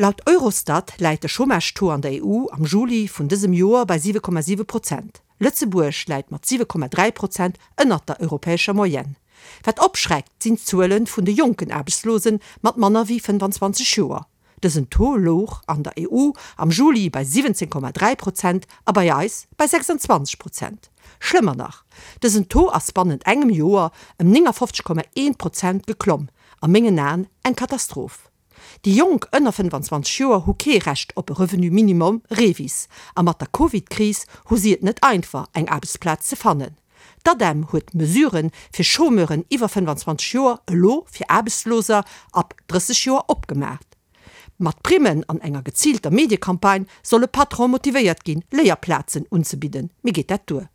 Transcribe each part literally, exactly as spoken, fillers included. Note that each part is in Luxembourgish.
Laut Eurostat läit de Chômage-Taux an der E U am Juli vun dësem Joer bei siwe Komma siwe Prozent. Lëtzebuerg läit mat siwe Komma dräi Prozent ënnert der europäescher Moyenne. Wat opschreckt, sinn d'Zuele vun de jonken Aarbechtslosen mat manner wéi fënnefanzwanzeg Joer. Dësen Taux louch an der E U am Juli bei siwwenzéng Komma dräi Prozent a bei eis bei sechsanzwanzeg Prozent. Schlëmmer nach, dësen Taux ass bannent engem Joer ëm néngafofzeg Komma eent Prozent geklomm, a mengen Aen eng Katastroph. Déi Jonk ënner fënnefanzwanzeg Joer hu kee Recht op e Revenu minimum REVIS a mat der Covid-Kris hu si et net einfach, eng Aarbechtsplaz ze fannen. D'ADEM huet d'Mesuren fir Chômeuren iwwer fënnefanzwanzeg Joer elo fir Aarbechtsloser ab drësseg Joer opgemaach. Mat Primmen an enger geziilter Mediecampagne solle Patrone motivéiert ginn, Léierplazen unzebidden. Mee geet dat duer?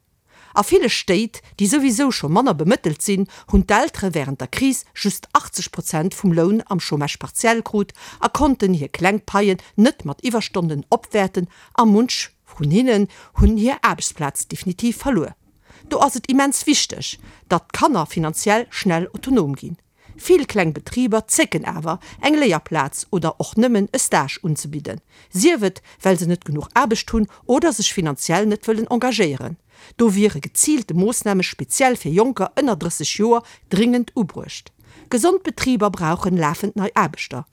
A ville Stéit, déi souwisou scho manner bemëttelt sinn, hunn d'Eltere wärend der Kris just achtzeg Prozent vum Loun am Chômage partiel krut a konnten hir kleng Paien net mat Iwwerstonnen opwäerten a munch vun hinnen hunn hir Aarbechtsplaz definitiv verluer. Do ass et immens wichteg, datt d'Kanner finanziell schnell autonom ginn. Vill kleng Betriber zécken awer, eng Léierplaz oder och nëmmen e Stage unzebidden, sief et, well se net genuch Aarbecht hunn oder sech finanziell net wëllen engagéieren. Do wiere geziilte Moossname speziell fir Jonker ënner drësseg Joer dringend ubruecht. Gesond Betriber brauchen lafend nei Aarbechter.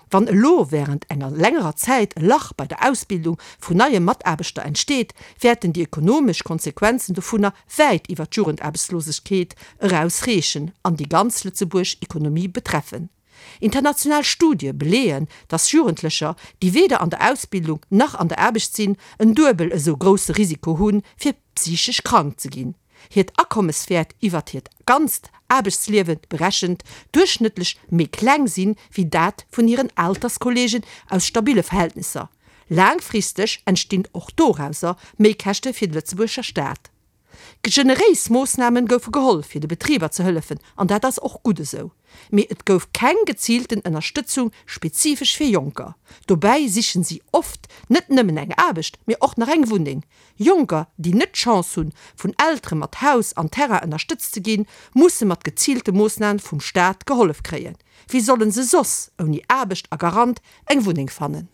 Wann elo wärend enger längerer Zäit e Lach bei der Ausbildung vun neie Mataarbechter entsteet, wäerten déi ekonomesch Konsequenzen dovunner wäit iwwer d'Jugendaarbechtslosegkeet eraus reechen an déi ganz Lëtzebuerg Ekonomie betreffen. International Studie beleeën, dass Jugendlecher, déi weder an der Ausbildung nach an der Aarbecht sinn, en duebel esou grousse Risiko hunn, fir psychesch krank ze ginn. Hiert Akommes wäert iwwert hiert ganzt Aarbechtsliewe berechent duerchschnëttlech méi kleng sinn, wéi dat vun hiren Alterskolleegen aus stabille Verhältnisser. Laangfristeg entstinn och dorauser Méikäschte fir de Lëtzebuerger Staat. Generéis Moossname goufe geholl, fir de Betriber ze hëllefen, an dat ass och gutt esou. Mee et gouf keng geziilten Ënnerstëtzung spezifesch fir Jonker. Dobäi sichen si oft net nëmmen eng Aarbecht, mee och nach eng Wunneng. Jonker, déi net d'Chance hunn, vun Eltere mat Haus an Terrain ënnerstëtzt ze ginn, musse mat geziilte Moossname vum Staat gehollef kréien. Wéi sollen se soss ouni Aarbecht a Garant eng Wunneng fannen?